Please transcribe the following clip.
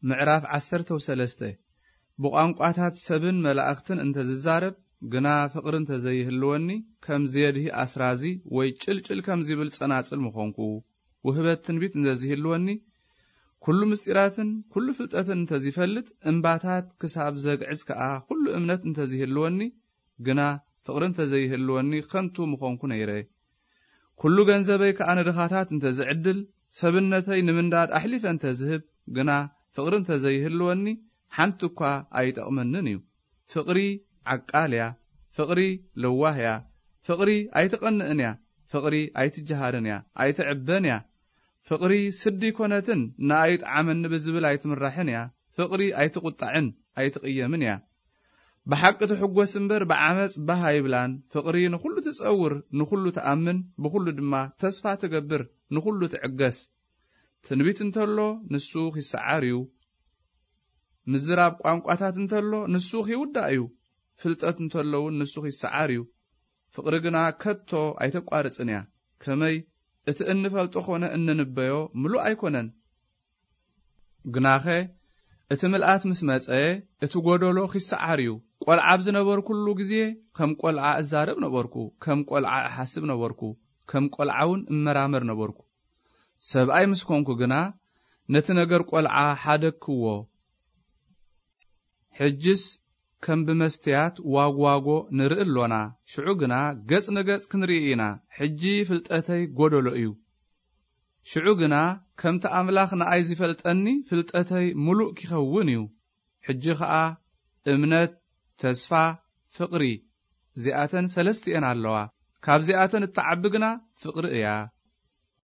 ምዕራፍ ዓሰርተ ወሰለስተ። ብቋንቋታት ሰብን መላእኽትን እንተ ዝዛረብ፣ ግና ፍቕሪ እንተ ዘይህልወኒ፣ ከም ዜድሂ ኣስራዚ ወይ ጭልጭል ከም ዚብል ጸናጽል ምኾንኩ። ውህበት ትንቢት እንተ ዝህልወኒ፣ ኩሉ ምስጢራትን ኩሉ ፍልጠትን እንተ ዚፈልጥ፣ እምባታት ክሳብ ዘግዕዝ ከኣ ኩሉ እምነት እንተ ዝህልወኒ፣ ግና ፍቕሪ እንተ ዘይህልወኒ ከንቱ ምኾንኩ ነይረ። ኩሉ ገንዘበይ ከኣ ንድኻታት እንተ ዝዕድል፣ ሰብነተይ ንምንዳድ ኣሕሊፈ እንተ ዝህብ፣ ግና ፍቕሪ እንተ ዘይህልወኒ ሓንቲ እኳ ኣይጠቕመንን እዩ። ፍቕሪ ዓቃል እያ። ፍቕሪ ለዋህ እያ። ፍቕሪ ኣይትቐንእን እያ። ፍቕሪ ኣይትጀሃርን እያ። ኣይትዕበን እያ። ፍቕሪ ስዲ ኣይኮነትን፣ ንኣይ ጥዓመኒ ብዝብል ኣይትምራሕን እያ። ፍቕሪ ኣይትቑጣዕን ኣይትቕየምን እያ። ብሓቂ ትሕጎስ እምበር ብዓመጽ ባህ ኣይብላን። ፍቕሪ ንኹሉ ትጸውር፣ ንኹሉ ትኣምን፣ ብኹሉ ድማ ተስፋ ትገብር፣ ንኹሉ ትዕገስ። ትንቢት እንተሎ ንሱ ኺሰዓር እዩ። ምዝራብ ቋንቋታት እንተሎ ንሱ ኺውዳእ እዩ። ፍልጠት እንተሎ እውን ንሱ ኺሰዓር እዩ። ፍቕሪ ግና ከቶ ኣይተቋርጽን እያ። ከመይ እቲ እንፈልጦ ኾነ እንንበዮ ምሉእ ኣይኮነን። ግናኸ እቲ ምልኣት ምስ መጸ፣ እቲ ጐደሎ ኺሰዓር እዩ። ቈልዓ ኣብ ዝነበርኩሉ ግዜ ከም ቈልዓ እዛረብ ነበርኩ፣ ከም ቈልዓ እሓስብ ነበርኩ፣ ከም ቈልዓ እውን እመራመር ነበርኩ። ሰብኣይ ምስ ኮንኩ ግና ነቲ ነገር ቈልዓ ሓደግክዎ። ሕጅስ ከም ብመስትያት ዋግዋጎ ንርኢ ኣሎና፣ ሽዑ ግና ገጽ ንገጽ ክንርኢ ኢና። ሕጂ ፍልጠተይ ጐደሎ እዩ። ሽዑ ግና ከምቲ ኣምላኽ ንኣይ ዚፈልጠኒ ፍልጠተይ ምሉእ ኪኸውን እዩ። ሕጂ ኸኣ እምነት፣ ተስፋ፣ ፍቕሪ፣ እዚኣተን ሰለስቲኤን ኣለዋ። ካብዚኣተን እትዓቢ ግና ፍቕሪ እያ።